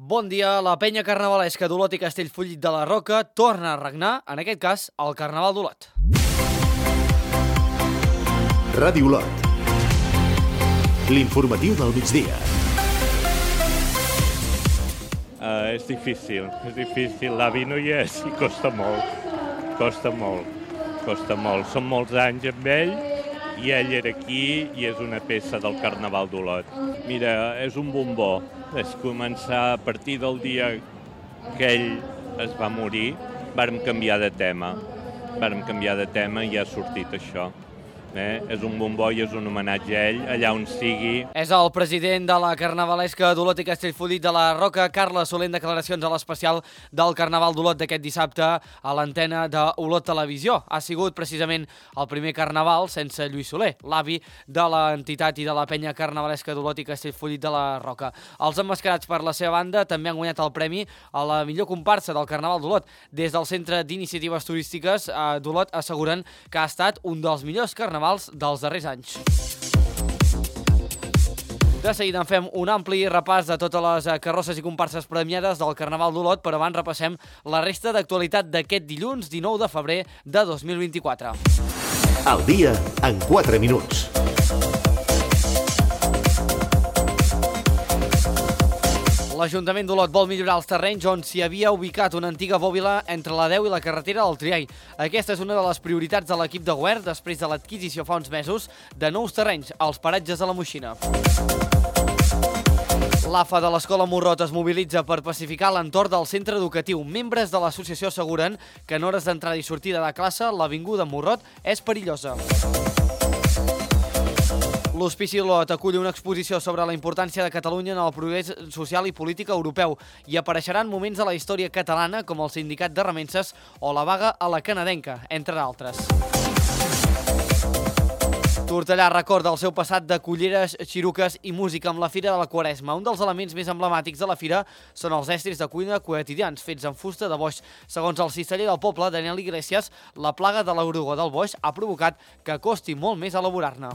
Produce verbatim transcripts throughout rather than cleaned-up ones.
Bon dia, la penya carnavalesca d'Olot i Castellfollit de la Roca torna a regnar, en aquest cas, el Carnaval d'Olot. Ràdio Olot. L'informatiu del migdia. Uh, és difícil, és difícil. L'avi no hi és i costa molt, costa molt, costa molt. Són molts anys amb ell i ell era aquí i és una peça del Carnaval d'Olot. Mira, és un bombó. És començar a partir del dia que ell es va morir, vàrem canviar de tema. Vàrem canviar de tema i ha sortit això. Eh? És un bombó i és un homenatge a ell, allà on sigui. És el president de la carnavalesca d'Olot i Castellfollit de la Roca, Carles Soler, en declaracions a l'especial del Carnaval d'Olot d'aquest dissabte a l'antena d'Olot Televisió. Ha sigut precisament el primer carnaval sense Lluís Soler, l'avi de l'entitat i de la penya carnavalesca d'Olot i Castellfollit de la Roca. Els emmascarats, per la seva banda, també han guanyat el premi a la millor comparsa del Carnaval d'Olot. Des del Centre d'Iniciatives Turístiques d'Olot asseguren que ha estat un dels millors carnavals dels darrers anys. De seguida en fem un ampli repàs de totes les carrosses i comparses premiades del Carnaval d'Olot, però abans repassem la resta d'actualitat d'aquest dilluns dinou de febrer de dos mil vint-i-quatre. El dia en quatre minuts. L'Ajuntament d'Olot vol millorar els terrenys on s'hi havia ubicat una antiga bòbila entre la deu i la carretera del Triall. Aquesta és una de les prioritats de l'equip de govern després de l'adquisició fa uns mesos de nous terrenys als paratges de la Moixina. L'A F A de l'Escola Morrot es mobilitza per pacificar l'entorn del centre educatiu. Membres de l'associació asseguren que en hores d'entrada i sortida de classe l'avinguda Morrot és perillosa. L'Hospici Olot acull una exposició sobre la importància de Catalunya en el progrés social i polític europeu i apareixeran moments de la història catalana com el sindicat de remenses o la vaga a la canadenca, entre d'altres. Tortellà recorda el seu passat de culleres, xiruques i música amb la Fira de la Quaresma. Un dels elements més emblemàtics de la fira són els estris de cuina quotidians fets en fusta de boix. Segons el cisteller del poble, Daniel Iglesias, la plaga de l'oruga del boix ha provocat que costi molt més elaborar-ne.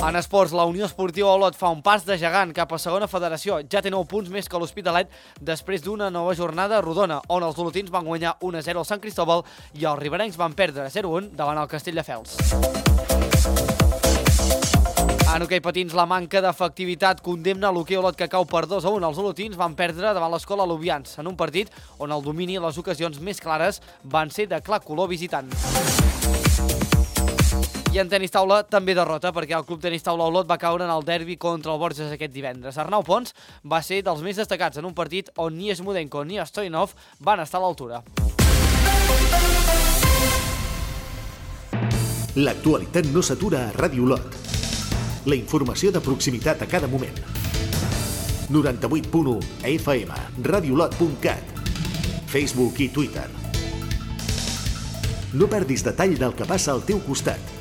En esports, la Unió Esportiva Olot fa un pas de gegant cap a segona federació. Ja té nou punts més que l'Hospitalet després d'una nova jornada rodona, on els olotins van guanyar un a zero al Sant Cristóbal i els riberencs van perdre zero a un davant el Castelldefels. En hoquei patins, la manca d'efectivitat condemna l'hoquei Olot, que cau per dos a un. Els olotins van perdre davant l'Escola Lubians, en un partit on el domini i les ocasions més clares van ser de clar color visitant. I en tenis taula també derrota, perquè el Club Tenis Taula Olot va caure en el derbi contra el Borges aquest divendres. Arnau Pons va ser dels més destacats en un partit on ni Smudenko ni Stoyanov van estar a l'altura. L'actualitat no s'atura a Ràdio Olot. La informació de proximitat a cada moment. noranta-vuit punt u F M, radiolot punt cat, Facebook i Twitter. No perdis detall del que passa al teu costat.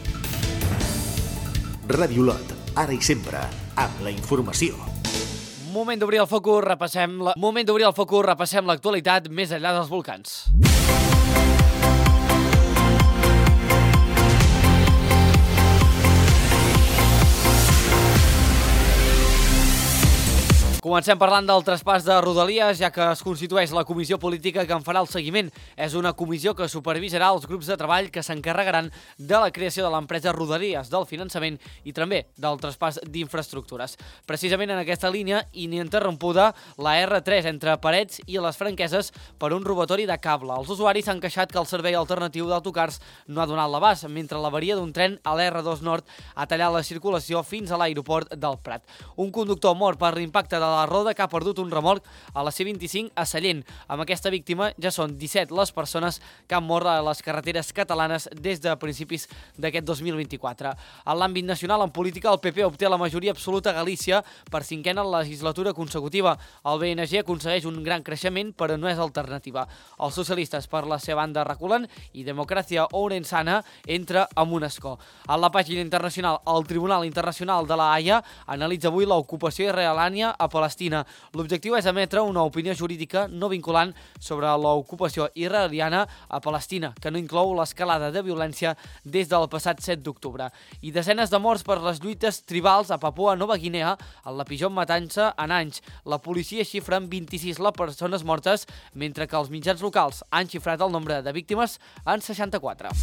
Ràdio Olot, ara i sempre, amb la informació. Moment d'obrir el focus, repassem la... Moment d'obrir el focus, repassem l'actualitat més enllà dels volcans. Comencem parlant del traspàs de Rodalies, ja que es constitueix la comissió política que en farà el seguiment. És una comissió que supervisarà els grups de treball que s'encarregaran de la creació de l'empresa Rodalies, del finançament i també del traspàs d'infraestructures. Precisament en aquesta línia, ininterrompuda, la R tres entre Parets i les Franqueses per un robatori de cable. Els usuaris s'han queixat que el servei alternatiu d'autocars no ha donat l'abast, mentre l'avaria d'un tren a l'R dos Nord ha tallat la circulació fins a l'aeroport del Prat. Un conductor mort per l'impacte de la roda que ha perdut un remolc a la C vint-i-cinc a Sallent. Amb aquesta víctima ja són disset les persones que han mort a les carreteres catalanes des de principis d'aquest dos mil vint-i-quatre. En l'àmbit nacional, en política, el P P obté la majoria absoluta a Galícia per cinquena legislatura consecutiva. El B N G aconsegueix un gran creixement, però no és alternativa. Els socialistes, per la seva banda, reculen i Democràcia Ourensana entra amb un escó. En la pàgina internacional, el Tribunal Internacional de la Haia analitza avui l'ocupació israeliana a Palestina Palestina. L'objectiu és emetre una opinió jurídica no vinculant sobre l'ocupació israeliana a Palestina, que no inclou l'escalada de violència des del passat set d'octubre. I desenes de morts per les lluites tribals a Papua Nova Guinea, en la pitjor matança en anys. La policia xifra en vint-i-sis les persones mortes, mentre que els mitjans locals han xifrat el nombre de víctimes en seixanta-quatre.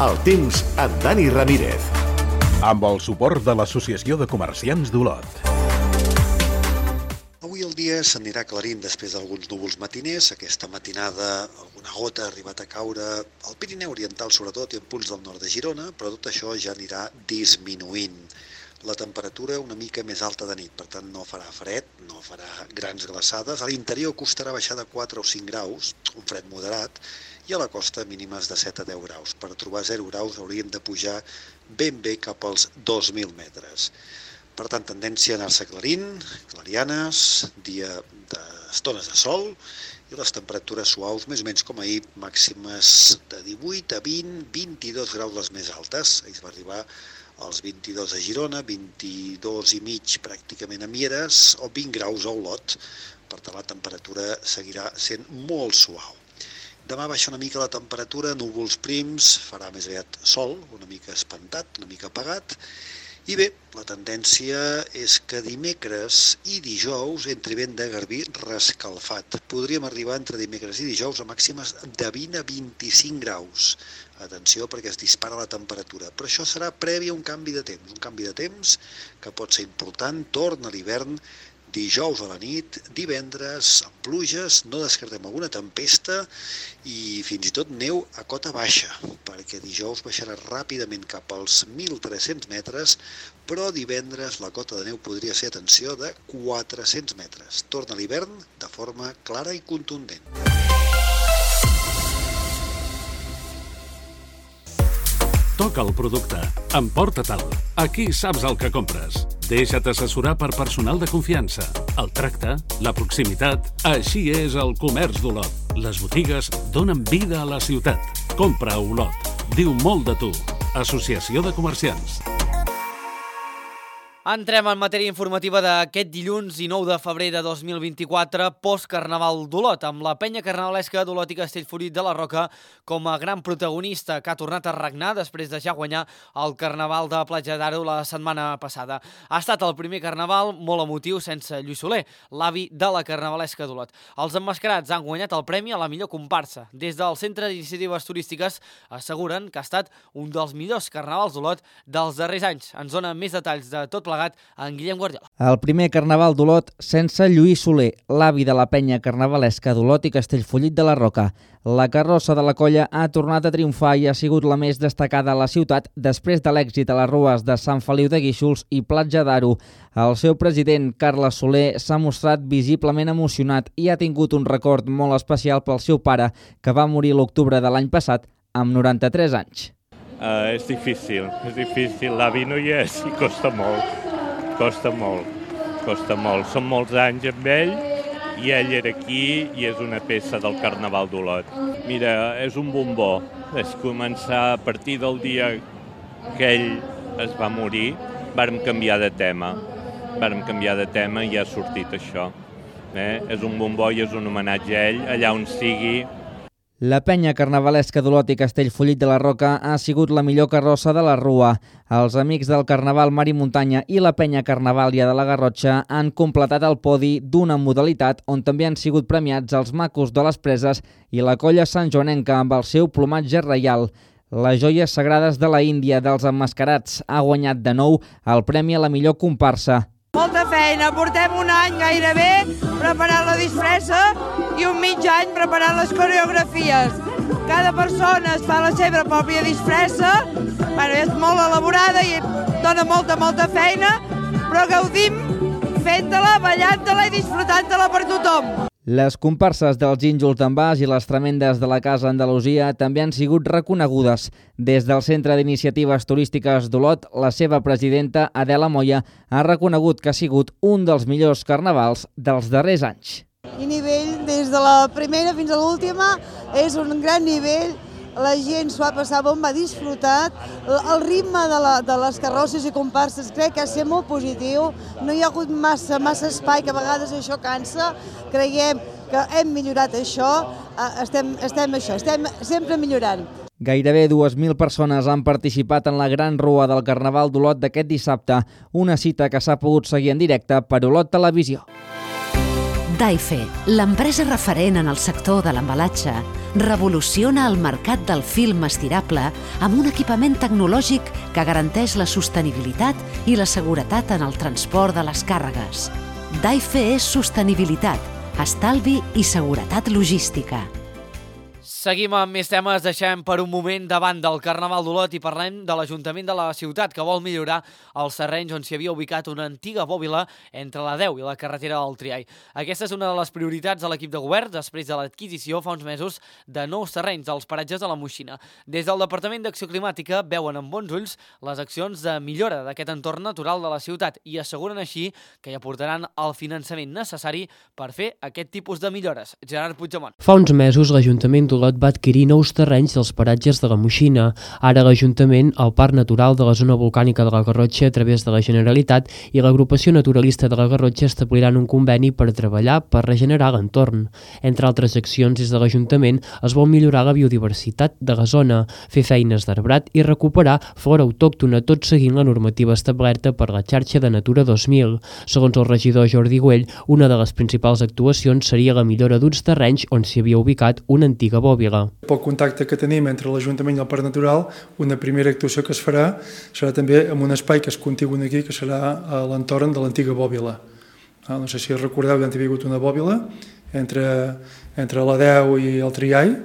El temps amb Dani Ramírez. Amb el suport de l'Associació de Comerciants d'Olot. Avui el dia s'anirà aclarint després d'alguns núvols matiners. Aquesta matinada alguna gota ha arribat a caure al Pirineu Oriental sobretot i en punts del nord de Girona, però tot això ja anirà disminuint. La temperatura una mica més alta de nit, per tant no farà fred, no farà grans glaçades. A l'interior costarà baixar de quatre o cinc graus, un fred moderat, i a la costa mínimes de set a deu graus. Per trobar zero graus hauríem de pujar ben bé cap als dos mil metres. Per tant, tendència a anar-se aclarint, clarianes, dia d'estones de sol i les temperatures suaus, més o menys com ahir, màximes de divuit a vint, vint-i-dos graus les més altes. Ahir es va arribar als vint-i-dos a Girona, vint-i-dos i mig pràcticament a Mieres o vint graus a Olot. Per tant, la temperatura seguirà sent molt suau. Demà baixa una mica la temperatura, núvols prims, farà més aviat sol, una mica espantat, una mica apagat. I bé, la tendència és que dimecres i dijous entri vent de garbí rescalfat. Podríem arribar entre dimecres i dijous a màximes de vint a vint-i-cinc graus. Atenció perquè es dispara la temperatura, però això serà previ a un canvi de temps, un canvi de temps que pot ser important, torna a l'hivern, dijous a la nit, divendres, amb pluges, no descartem alguna tempesta i fins i tot neu a cota baixa, perquè dijous baixarà ràpidament cap als mil tres-cents metres, però divendres la cota de neu podria ser, atenció, de quatre-cents metres. Torna l'hivern de forma clara i contundent. Toca el producte. Emporta-te'l. Aquí saps el que compres. Deixa't assessorar per personal de confiança. El tracte, la proximitat... Així és el comerç d'Olot. Les botigues donen vida a la ciutat. Compra a Olot. Diu molt de tu. Associació de Comerciants. Entrem en matèria informativa d'aquest dilluns dinou de febrer de dos mil vint-i-quatre, post-Carnaval d'Olot, amb la penya carnavalesca d'Olot i Castellfollit de la Roca com a gran protagonista que ha tornat a regnar després de ja guanyar el Carnaval de Platja d'Aro la setmana passada. Ha estat el primer Carnaval molt emotiu sense Lluís Soler, l'avi de la carnavalesca d'Olot. Els emmascarats han guanyat el premi a la millor comparsa. Des del Centre d'Iniciatives Turístiques asseguren que ha estat un dels millors carnavals d'Olot dels darrers anys. Ens dona més detalls de tot plegat en Guillem Guardiola. El primer Carnaval d'Olot sense Lluís Soler, l'avi de la penya carnavalesca d'Olot i Castellfollit de la Roca. La carrossa de la colla ha tornat a triomfar i ha sigut la més destacada a la ciutat després de l'èxit a les rues de Sant Feliu de Guíxols i Platja d'Aro. El seu president, Carles Soler, s'ha mostrat visiblement emocionat i ha tingut un record molt especial pel seu pare, que va morir l'octubre de l'any passat amb noranta-tres anys. Uh, és difícil, és difícil. L'avi no hi és i costa molt. Costa molt, costa molt. Són molts anys amb ell i ell era aquí i és una peça del Carnaval d'Olot. Mira, és un bombó. És començar a partir del dia que ell es va morir, vàrem canviar de tema. Vàrem canviar de tema i ha sortit això. Eh? És un bombó i és un homenatge a ell, allà on sigui. La penya carnavalesca d'Olot i Castellfollit de la Roca ha sigut la millor carrossa de la Rua. Els amics del Carnaval Mar i Muntanya i la penya Carnavàlia de la Garrotxa han completat el podi d'una modalitat on també han sigut premiats els macos de les Preses i la colla santjoanenca amb el seu plomatge reial. Les joies sagrades de la Índia dels emmascarats ha guanyat de nou el premi a la millor comparsa. Molta feina, portem un any gairebé preparant la disfressa i un mig any preparant les coreografies. Cada persona es fa la seva pròpia disfressa, bueno, és molt elaborada i dona molta, molta feina, però gaudim fent-la, ballant-la i disfrutant-la per tothom. Les comparses dels gínjols d'Envàs i les tremendes de la Casa Andalusia també han sigut reconegudes. Des del Centre d'Iniciatives Turístiques d'Olot, la seva presidenta, Adela Moya, ha reconegut que ha sigut un dels millors carnavals dels darrers anys. I a nivell de des de la primera fins a l'última, és un gran nivell, la gent s'ho va passar bon, va disfrutar, el ritme de, la, de les carrosses i comparses crec que ha estat molt positiu, no hi ha hagut massa, massa espai, que a vegades això cansa, creiem que hem millorat això, estem, estem això, estem sempre millorant. Gairebé dues mil persones han participat en la Gran Rua del Carnaval d'Olot d'aquest dissabte, una cita que s'ha pogut seguir en directe per Olot Televisió. Daife, l'empresa referent en el sector de l'embalatge, revoluciona el mercat del film estirable amb un equipament tecnològic que garanteix la sostenibilitat i la seguretat en el transport de les càrregues. Daife és sostenibilitat, estalvi i seguretat logística. Seguim amb més temes, deixem per un moment davant del Carnaval d'Olot i parlem de l'Ajuntament de la ciutat, que vol millorar els terrenys on s'hi havia ubicat una antiga bòbila entre la deu i la carretera del Triai. Aquesta és una de les prioritats de l'equip de govern després de l'adquisició fa uns mesos de nous terrenys als paratges de la Moixina. Des del Departament d'Acció Climàtica veuen amb bons ulls les accions de millora d'aquest entorn natural de la ciutat i asseguren així que hi aportaran el finançament necessari per fer aquest tipus de millores. Gerard Puigdemont. Fa uns mesos l'Ajuntament d'Olot va adquirir nous terrenys dels paratges de la Moixina. Ara l'Ajuntament, el Parc Natural de la Zona Volcànica de la Garrotxa a través de la Generalitat i l'Agrupació Naturalista de la Garrotxa establiran un conveni per treballar per regenerar l'entorn. Entre altres accions, des de l'Ajuntament es vol millorar la biodiversitat de la zona, fer feines d'arbrat i recuperar flora autòctona, tot seguint la normativa establerta per la xarxa de Natura dos mil. Segons el regidor Jordi Güell, una de les principals actuacions seria la millora d'uns terrenys on s'hi havia ubicat una antiga bòbila. Pel contacte que tenim entre l'Ajuntament i el Parc Natural, una primera actuació que es farà serà també en un espai que és contigu aquí, que serà a l'entorn de l'antiga bòbila. No sé si recordeu que hi ha hagut una bòbila entre, entre la deu i el Triai,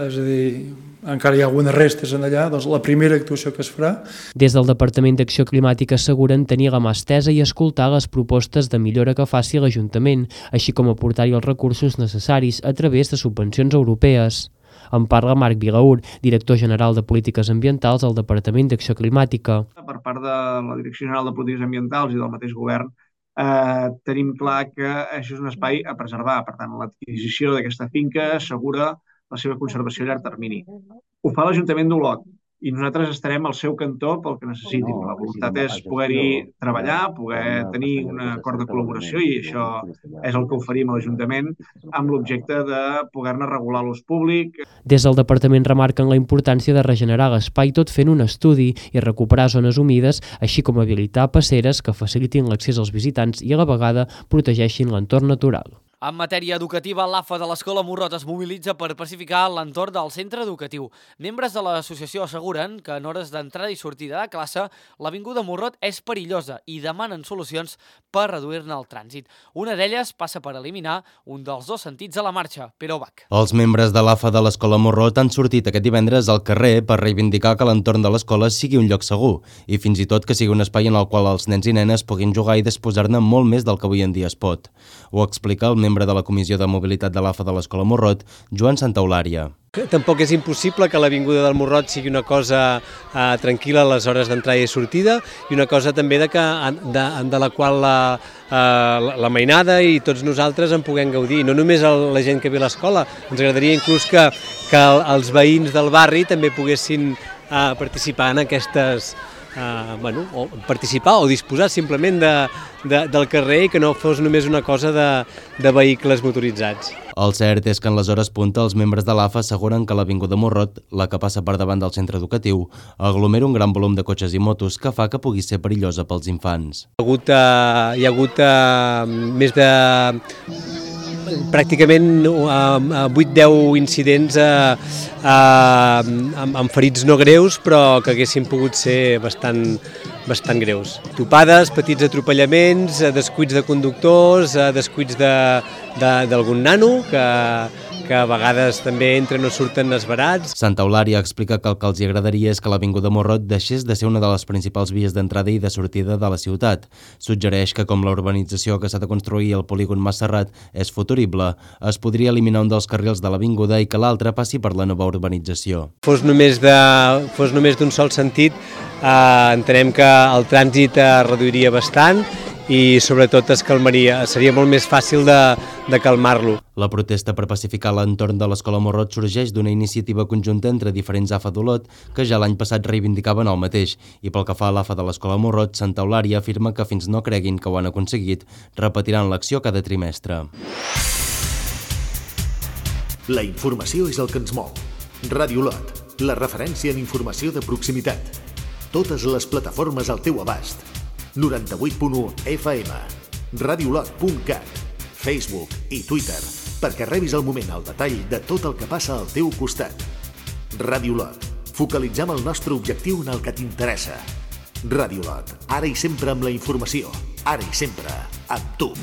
és a dir, encara hi ha algunes restes en allà, doncs la primera actuació que es farà. Des del Departament d'Acció Climàtica asseguren tenir la mà estesa i escoltar les propostes de millora que faci l'Ajuntament, així com aportar-hi els recursos necessaris a través de subvencions europees. En parla Marc Vilaur, director general de Polítiques Ambientals al Departament d'Acció Climàtica. Per part de la Direcció General de Polítiques Ambientals i del mateix govern, eh, tenim clar que això és un espai a preservar. Per tant, l'adquisició d'aquesta finca assegura la seva conservació a llarg termini. Ho fa l'Ajuntament d'Olot i nosaltres estarem al seu cantó pel que necessitin. La voluntat és poder-hi treballar, poder tenir un acord de col·laboració i això és el que oferim a l'Ajuntament amb l'objecte de poder-ne regular l'ús públic. Des del Departament remarquen la importància de regenerar l'espai tot fent un estudi i recuperar zones humides, així com habilitar passeres que facilitin l'accés als visitants i a la vegada protegeixin l'entorn natural. En matèria educativa, l'A F A de l'Escola Morrot es mobilitza per pacificar l'entorn del centre educatiu. Membres de l'associació asseguren que en hores d'entrada i sortida de classe l'avinguda Morrot és perillosa i demanen solucions per reduir-ne el trànsit. Una d'elles passa per eliminar un dels dos sentits a la marxa, Pere Bach. Els membres de l'A F A de l'Escola Morrot han sortit aquest divendres al carrer per reivindicar que l'entorn de l'escola sigui un lloc segur i fins i tot que sigui un espai en el qual els nens i nenes puguin jugar i disposar-ne molt més del que avui en dia es pot. Ho explica el membre de la Comissió de Mobilitat de l'A F A de l'Escola Morrot, Joan Santaeulària. Tampoc és impossible que l'avinguda del Morrot sigui una cosa eh, tranquil·la a les hores d'entrada i sortida i una cosa també de, que, de, de la qual la, eh, la mainada i tots nosaltres en puguem gaudir. No només el, la gent que ve a l'escola, ens agradaria inclús que, que els veïns del barri també poguessin eh, participar en aquestes... Uh, bueno, o participar o disposar simplement de, de, del carrer i que no fos només una cosa de, de vehicles motoritzats. El cert és que en les hores punta els membres de l'A F A asseguren que l'avinguda Morrot, la que passa per davant del centre educatiu, aglomera un gran volum de cotxes i motos que fa que pugui ser perillosa pels infants. Hi ha hagut, uh, hi ha hagut uh, més de... pràcticament vuit deu incidents eh, eh, amb, amb ferits no greus, però que haguessin pogut ser bastant, bastant greus. Topades, petits atropellaments, descuits de conductors, descuits d'algun nano que, que a vegades també entren o surten esverats. Santaeulària explica que el que els agradaria és que l'avinguda Morrot deixés de ser una de les principals vies d'entrada i de sortida de la ciutat. Suggereix que com la urbanització que s'ha de construir al polígon Masserrat és futurible, es podria eliminar un dels carrils de l'avinguda i que l'altre passi per la nova urbanització. Fos només de, fos només d'un sol sentit, eh, entenem que el trànsit es reduiria bastant i sobretot es calmaria, seria molt més fàcil de, de calmar-lo. La protesta per pacificar l'entorn de l'Escola Morrot sorgeix d'una iniciativa conjunta entre diferents A F A d'Olot que ja l'any passat reivindicaven el mateix, i pel que fa a l'A F A de l'Escola Morrot, Santa Eulària afirma que fins no creguin que ho han aconseguit, repetiran l'acció cada trimestre. La informació és el que ens mou. Ràdio Olot, la referència en informació de proximitat. Totes les plataformes al teu abast. noranta-vuit punt u F M, radiolot punt cat, Facebook i Twitter, perquè rebis al moment el detall de tot el que passa al teu costat. Ràdio Olot, focalitzem el nostre objectiu en el que t'interessa. Ràdio Olot, ara i sempre amb la informació, ara i sempre amb tu.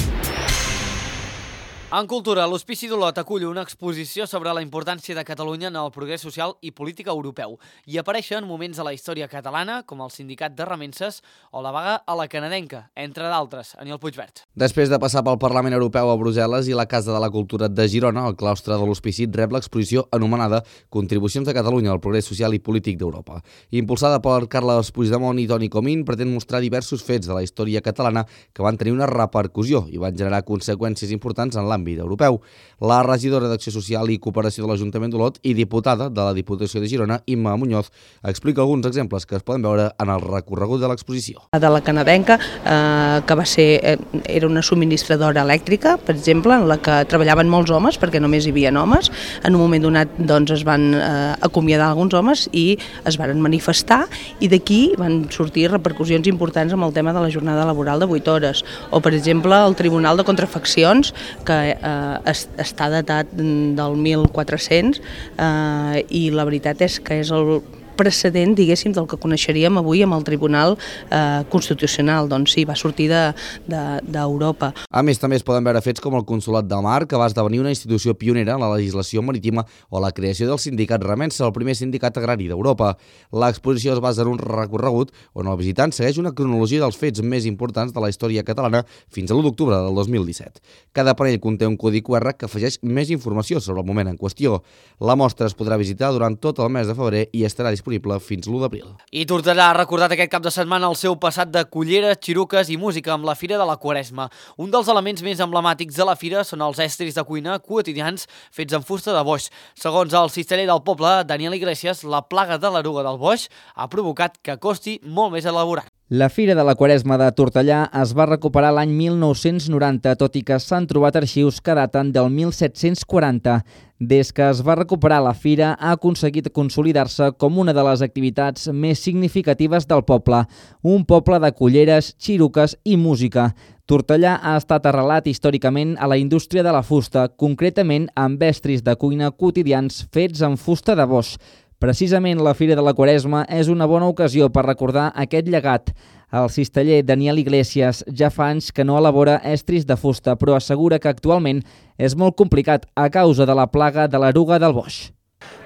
En cultura, l'Hospici d'Olot acull una exposició sobre la importància de Catalunya en el progrés social i política europeu. Hi apareixen moments de la història catalana, com el sindicat de remenses o la vaga a la canadenca, entre d'altres. Aniol Puigvert. Després de passar pel Parlament Europeu a Brussel·les i la Casa de la Cultura de Girona, el claustre de l'Hospici rep l'exposició anomenada Contribucions de Catalunya al progrés social i polític d'Europa. Impulsada per Carles Puigdemont i Toni Comín, pretén mostrar diversos fets de la història catalana que van tenir una repercussió i van generar conseqüències importants en l'àmbit europeu. La regidora d'Acció Social i Cooperació de l'Ajuntament d'Olot i diputada de la Diputació de Girona, Imma Muñoz, explica alguns exemples que es poden veure en el recorregut de l'exposició. De la canadenca, eh, que va ser, eh, era una subministradora elèctrica, per exemple, en la que treballaven molts homes, perquè només hi havia homes. En un moment donat doncs, es van eh, acomiadar alguns homes i es van manifestar, i d'aquí van sortir repercussions importants amb el tema de la jornada laboral de vuit hores. O, per exemple, el Tribunal de Contrafaccions, que eh, està datat del mil quatre-cents eh, i la veritat és que és el precedent, diguéssim, del que coneixeríem avui amb el Tribunal eh, Constitucional. Doncs sí, va sortir d'Europa. De, de, a més, també es poden veure fets com el Consolat del Mar, que va esdevenir una institució pionera en la legislació marítima, o la creació del sindicat Remensa, el primer sindicat agrari d'Europa. L'exposició es basa en un recorregut on el visitant segueix una cronologia dels fets més importants de la història catalana fins a l'u d'octubre del dos mil disset. Cada panell conté un codi Q R que afegeix més informació sobre el moment en qüestió. La mostra es podrà visitar durant tot el mes de febrer i estarà disponible fins l'u d'abril. I Tortellà ha recordat aquest cap de setmana el seu passat de culleres, xiruques i música amb la Fira de la Quaresma. Un dels elements més emblemàtics de la fira són els estris de cuina quotidians fets en fusta de boix. Segons el cisteller del poble, Daniel Iglesias, la plaga de l'eruga del boix ha provocat que costi molt més elaborar. La Fira de la Quaresma de Tortellà es va recuperar l'any mil nou-cents noranta, tot i que s'han trobat arxius que daten del mil set-cents quaranta. Des que es va recuperar la fira, ha aconseguit consolidar-se com una de les activitats més significatives del poble, un poble de culleres, xiruques i música. Tortellà ha estat arrelat històricament a la indústria de la fusta, concretament amb estris de cuina quotidians fets en fusta de boix. Precisament la Fira de la Quaresma és una bona ocasió per recordar aquest llegat. El cisteller Daniel Iglesias ja fa anys que no elabora estris de fusta, però assegura que actualment és molt complicat a causa de la plaga de l'eruga del boix.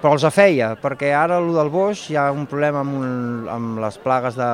Però els afeia, perquè ara el del boix hi ha un problema amb, un, amb les plagues de,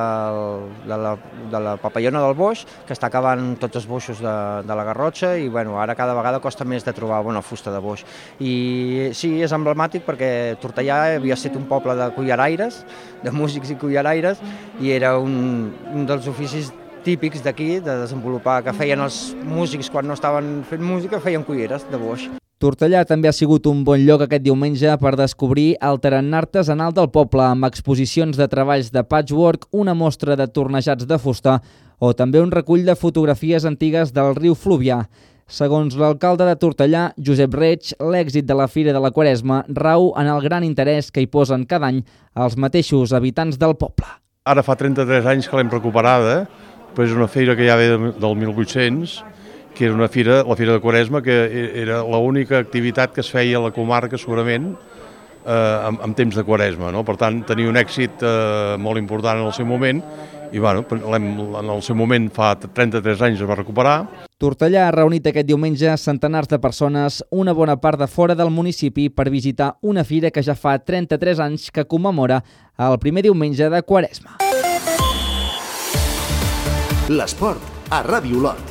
de, la, de la papallona del boix, que està acabant tots els boixos de, de la Garrotxa, i bueno, ara cada vegada costa més de trobar bona fusta de boix. I sí, és emblemàtic perquè Tortellà havia estat un poble de culleraires, de músics i culleraires, i era un, un dels oficis típics d'aquí, de desenvolupar, que feien els músics quan no estaven fent música, feien culleres de boix. Tortellà també ha sigut un bon lloc aquest diumenge per descobrir el tarannà artesanal del poble, amb exposicions de treballs de patchwork, una mostra de tornejats de fusta o també un recull de fotografies antigues del riu Fluvià. Segons l'alcalde de Tortellà, Josep Reig, l'èxit de la Fira de la Quaresma rau en el gran interès que hi posen cada any els mateixos habitants del poble. Ara fa trenta-tres anys que l'hem recuperada, però és una fira que ja ve del mil vuit-cents, que era una fira, la Fira de Quaresma, que era l'única activitat que es feia a la comarca, segurament, eh, en, en temps de Quaresma, no? Per tant, tenia un èxit eh, molt important en el seu moment, i bueno, en el seu moment, fa trenta-tres anys, es va recuperar. Tortellà ha reunit aquest diumenge centenars de persones, una bona part de fora del municipi, per visitar una fira que ja fa trenta-tres anys que commemora el primer diumenge de Quaresma. L'esport a Ràdio Olot.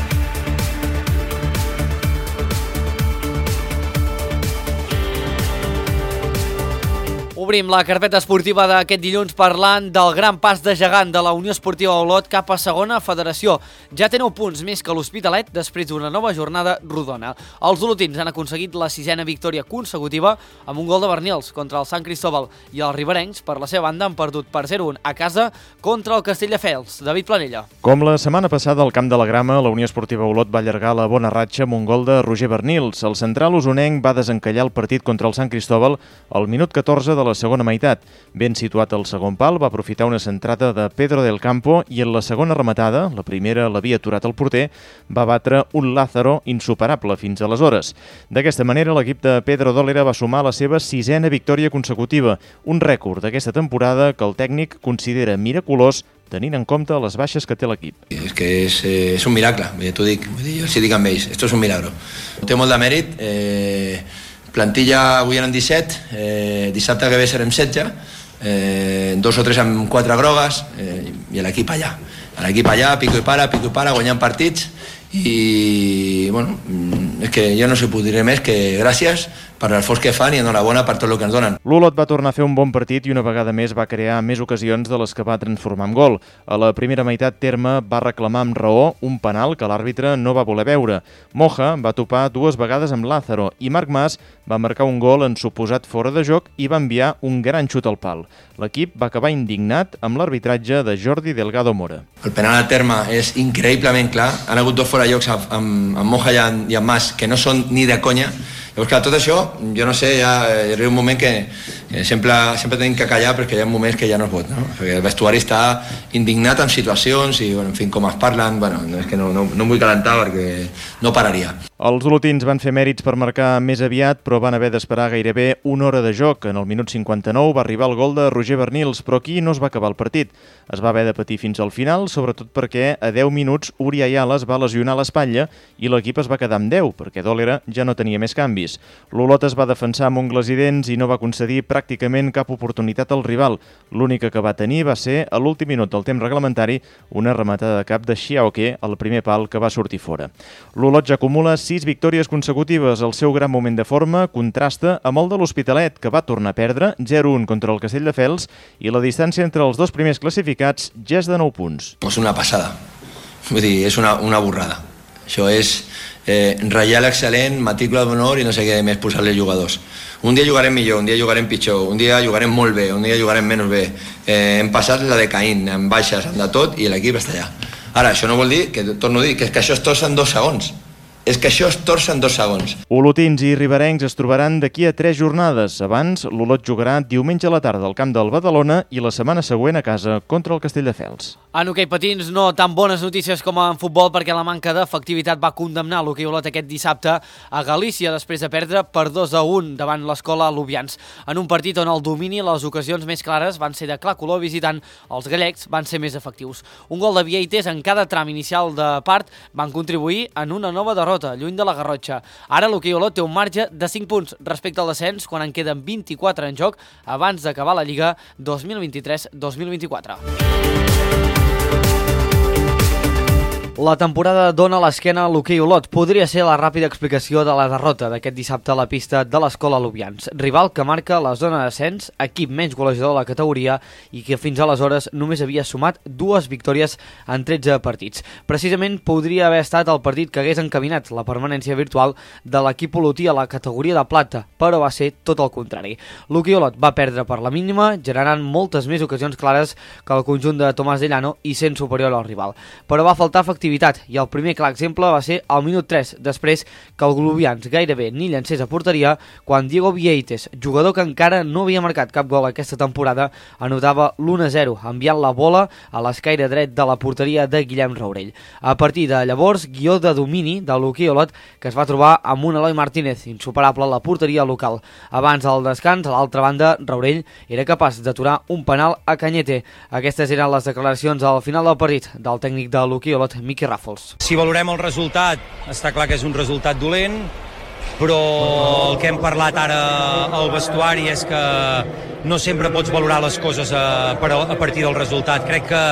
Obrim la carpeta esportiva d'aquest dilluns parlant del gran pas de gegant de la Unió Esportiva Olot cap a segona federació. Ja té nou punts més que l'Hospitalet després d'una nova jornada rodona. Els olotins han aconseguit la sisena victòria consecutiva amb un gol de Bernils contra el Sant Cristóbal i els riberencs, per la seva banda, han perdut per zero a un a casa contra el Castelldefels. David Planella. Com la setmana passada al Camp de la Grama, la Unió Esportiva Olot va allargar la bona ratxa amb un gol de Roger Bernils. El central usonenc va desencallar el partit contra el Sant Cristóbal al minut catorze de la segona meitat. Ben situat al segon pal, va aprofitar una centrada de Pedro del Campo i en la segona rematada, la primera l'havia aturat el porter, va batre un Lázaro insuperable fins aleshores. D'aquesta manera, l'equip de Pedro Dólera va sumar la seva sisena victòria consecutiva, un rècord d'aquesta temporada que el tècnic considera miraculós tenint en compte les baixes que té l'equip. És que és, eh, és un miracle, t'ho dic, jo els dic amb ells, esto és un milagro. Té molt de mèrit, eh, plantilla avui eren disset, eh, dissabte que ve serem setze, eh, dos o tres amb quatre grogues, eh, i l'equip allà. L'equip allà, pico i para, pico i para, guanyant partits, i bueno, és que jo no sé puc dir més que gràcies per l'esforç que fan i enhorabona per tot el que ens donen. L'Olot va tornar a fer un bon partit i una vegada més va crear més ocasions de les que va transformar en gol. A la primera meitat, Terme va reclamar amb raó un penal que l'àrbitre no va voler veure. Moja va topar dues vegades amb Lázaro i Marc Mas va marcar un gol en suposat fora de joc i va enviar un gran xut al pal. L'equip va acabar indignat amb l'arbitratge de Jordi Delgado Mora. El penal a Terme és increïblement clar. Han hagut dos fora jocs amb, amb Moja i amb, i amb Mas que no són ni de conya. Llavors, clar, tot això, jo no sé, ja arriba un moment que, que sempre, sempre tenim que callar perquè hi ha moments que ja no es pot, no? Perquè el vestuari està indignat amb situacions i, bueno, en fi, com es parlen, bueno, és que no, no, no em vull calentar perquè no pararia. Els olotins van fer mèrits per marcar més aviat, però van haver d'esperar gairebé una hora de joc. En el minut cinquanta-nou va arribar el gol de Roger Bernils, però aquí no es va acabar el partit. Es va haver de patir fins al final, sobretot perquè a deu minuts Uri Ayala es va lesionar l'espatlla i l'equip es va quedar amb deu, perquè Dólera ja no tenia més canvis. L'Olot es va defensar amb ungles i dents i no va concedir pràcticament cap oportunitat al rival. L'única que va tenir va ser, a l'últim minut del temps reglamentari, una rematada de cap de Xiaoque al primer pal que va sortir fora. L'Olot ja acumula sis victòries consecutives. El seu gran moment de forma contrasta amb el de l'Hospitalet, que va tornar a perdre zero a un contra el Castelldefels i la distància entre els dos primers classificats ja és de nou punts. És una passada. Vull dir, és una, una borrada. Això és eh, ratllar l'excel·lent, matrícula d'honor i no sé què més posar-li jugadors. Un dia jugarem millor, un dia jugarem pitjor, un dia jugarem molt bé, un dia jugarem menys bé. Eh, hem passat la de Caín, amb baixes, amb de tot, i l'equip està allà. Ara, això no vol dir, que torno a dir, que, és que això es torça en dos segons. És que això es torça en dos segons. Olotins i riberencs es trobaran d'aquí a tres jornades. Abans, l'Olot jugarà diumenge a la tarda al camp del Badalona i la setmana següent a casa contra el Castelldefels. En hoquei patins no tan bones notícies com en futbol perquè la manca d'efectivitat va condemnar l'hoquei Olot aquest dissabte a Galícia després de perdre per dos a un davant l'escola Lubians. En un partit on el domini i les ocasions més clares van ser de clar color visitant, els gallecs van ser més efectius. Un gol de Vieites en cada tram inicial de part van contribuir en una nova derrota, lluny de la Garrotxa. Ara l'hoquei Olot té un marge de cinc punts respecte al descens quan en queden vint-i-quatre en joc abans d'acabar la Lliga dos mil vint-i-tres dos mil vint-i-quatre. La temporada dona l'esquena a l'hoquei Olot. Podria ser la ràpida explicació de la derrota d'aquest dissabte a la pista de l'escola Lubians. Rival que marca la zona d'ascens, equip menys golejador de la categoria i que fins aleshores només havia sumat dues victòries en tretze partits. Precisament podria haver estat el partit que hagués encaminat la permanència virtual de l'equip olotí a la categoria de plata, però va ser tot el contrari. L'hoquei Olot va perdre per la mínima, generant moltes més ocasions clares que el conjunt de Tomàs de Llano i sent superior al rival. Però va faltar efectivitat i el primer clar exemple va ser al minut tres, després que el Lubians gairebé ni llancés a porteria quan Diego Vieites, jugador que encara no havia marcat cap gol aquesta temporada, anotava l'u a zero, enviant la bola a l'escaire dret de la porteria de Guillem Raurell. A partir de llavors, guió de domini de l'hoquei Olot que es va trobar amb un Eloi Martínez, insuperable a la porteria local. Abans del descans, a l'altra banda, Raurell era capaç d'aturar un penal a Cañete. Aquestes eren les declaracions al final del partit del tècnic de l'hoquei Olot, Miqui Ràfols. Si valorem el resultat, està clar que és un resultat dolent, però el que hem parlat ara al vestuari és que no sempre pots valorar les coses a, a partir del resultat. Crec que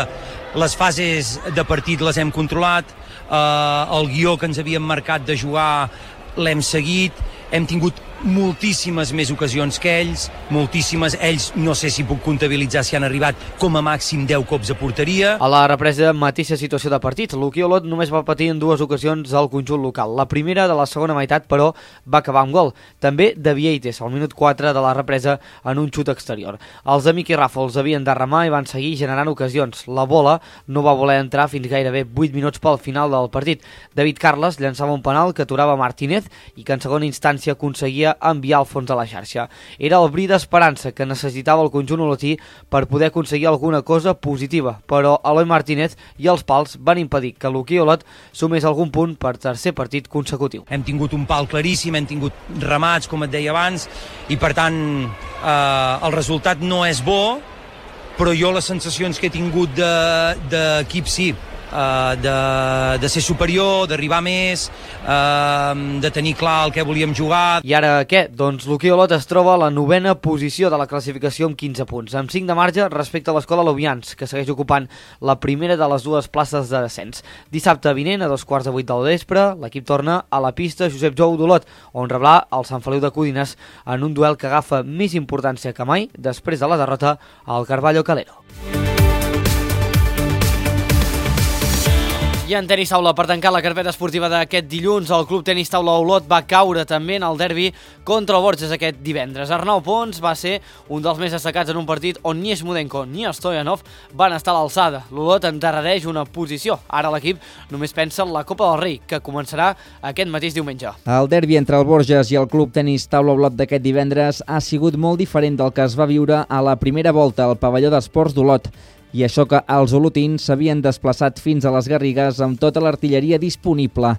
les fases de partit les hem controlat, eh, el guió que ens havíem marcat de jugar l'hem seguit, hem tingut moltíssimes més ocasions que ells, moltíssimes, ells no sé si puc comptabilitzar si han arribat com a màxim deu cops a porteria. A la represa, mateixa situació de partit. L'Uki Olot només va patir en dues ocasions al conjunt local. La primera de la segona meitat, però, va acabar amb gol. També de Vieites, al minut quatre de la represa, en un xut exterior. Els de Miqui Ràfols havien de remar i van seguir generant ocasions. La bola no va voler entrar fins gairebé vuit minuts pel final del partit. David Carles llançava un penal que aturava Martínez i que en segona instància aconseguia enviar al fons de la xarxa. Era el bri d'esperança que necessitava el conjunt olotí per poder aconseguir alguna cosa positiva, però Eloi Martínez i els pals van impedir que l'Uki Olot sumés algun punt per tercer partit consecutiu. Hem tingut un pal claríssim, hem tingut remats, com et deia abans, i per tant eh, el resultat no és bo, però jo les sensacions que he tingut d'equip de, sí, Uh, de, de ser superior, d'arribar més, uh, de tenir clar el que volíem jugar. I ara què? Doncs l'Uki Olot es troba a la novena posició de la classificació amb quinze punts, amb cinc de marge respecte a l'Escola Lovians, que segueix ocupant la primera de les dues places de descens. Dissabte vinent, a dos quarts de vuit del vespre, l'equip torna a la pista Josep Jou d'Olot, on rebrà el Sant Feliu de Codines en un duel que agafa més importància que mai després de la derrota al Carballo Calero. I en tenis taula, per tancar la carpeta esportiva d'aquest dilluns, el Club Tenis Taula Olot va caure també en el derbi contra el Borges aquest divendres. Arnau Pons va ser un dels més destacats en un partit on ni Smudenko ni Stoyanov van estar a l'alçada. L'Olot endarrereix una posició. Ara l'equip només pensa en la Copa del Rei, que començarà aquest mateix diumenge. El derbi entre el Borges i el Club Tenis Taula Olot d'aquest divendres ha sigut molt diferent del que es va viure a la primera volta al pavelló d'esports d'Olot. I això que els olotins s'havien desplaçat fins a les Garrigues amb tota l'artilleria disponible.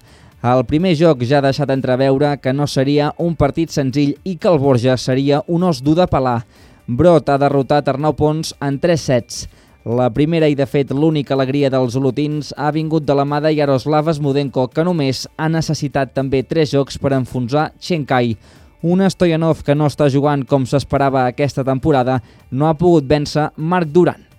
El primer joc ja ha deixat entreveure que no seria un partit senzill i que el Borges seria un os dur de pelar. Brot ha derrotat Arnau Pons en tres sets. La primera i, de fet, l'única alegria dels olotins ha vingut de la mà de Yaroslav Smudenko, que només ha necessitat també tres jocs per enfonsar Chenkai. Un Stoyanov que no està jugant com s'esperava aquesta temporada no ha pogut vèncer Marc Duran.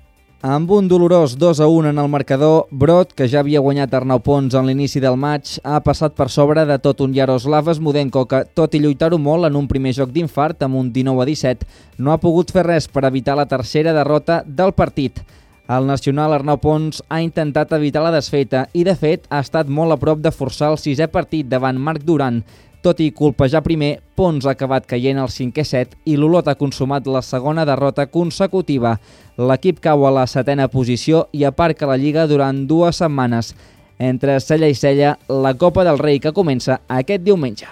Amb un dolorós dos a un en el marcador, Brot, que ja havia guanyat Arnau Pons en l'inici del maig, ha passat per sobre de tot un Yaroslav Smudenko que, tot i lluitar-ho molt en un primer joc d'infart amb un dinou a disset, no ha pogut fer res per evitar la tercera derrota del partit. El nacional Arnau Pons ha intentat evitar la desfeta i, de fet, ha estat molt a prop de forçar el sisè partit davant Marc Duran. Tot i colpejar primer, Pons ha acabat caient al cinquè set i l'Olot ha consumat la segona derrota consecutiva. L'equip cau a la setena posició i aparca la Lliga durant dues setmanes. Entre cella i cella, la Copa del Rei que comença aquest diumenge.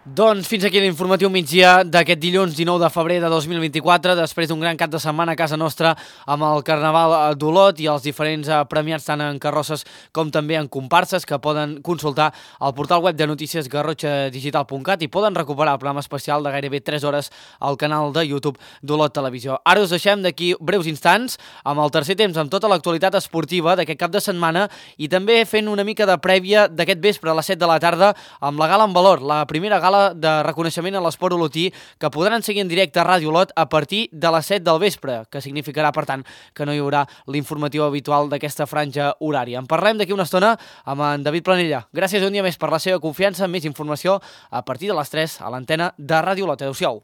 Doncs fins aquí l'informatiu migdia d'aquest dilluns dinou de febrer de dos mil vint-i-quatre, després d'un gran cap de setmana a casa nostra amb el Carnaval d'Olot i els diferents premiats tant en carrosses com també en comparses que poden consultar al portal web de notícies garrotxa digital punt cat i poden recuperar el programa especial de gairebé tres hores al canal de YouTube d'Olot Televisió. Ara us deixem d'aquí breus instants amb el tercer temps amb tota l'actualitat esportiva d'aquest cap de setmana i també fent una mica de prèvia d'aquest vespre a les set de la tarda amb la Gala en Valor, la primera gala de reconeixement a l'esport olotí que podran seguir en directe a Ràdio Olot a partir de les set del vespre, que significarà, per tant, que no hi haurà l'informatiu habitual d'aquesta franja horària. En parlem d'aquí una estona amb en David Planella. Gràcies un dia més per la seva confiança. Més informació a partir de les tres a l'antena de Ràdio Olot. Adéu-siau.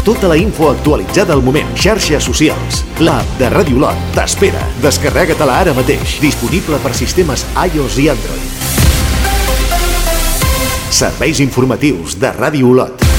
Tota la info actualitzada al moment. Xarxes socials. L'app de Ràdio Olot t'espera. Descarrega-te-la ara mateix. Disponible per sistemes iOS i Android. Serveis informatius de Ràdio Olot.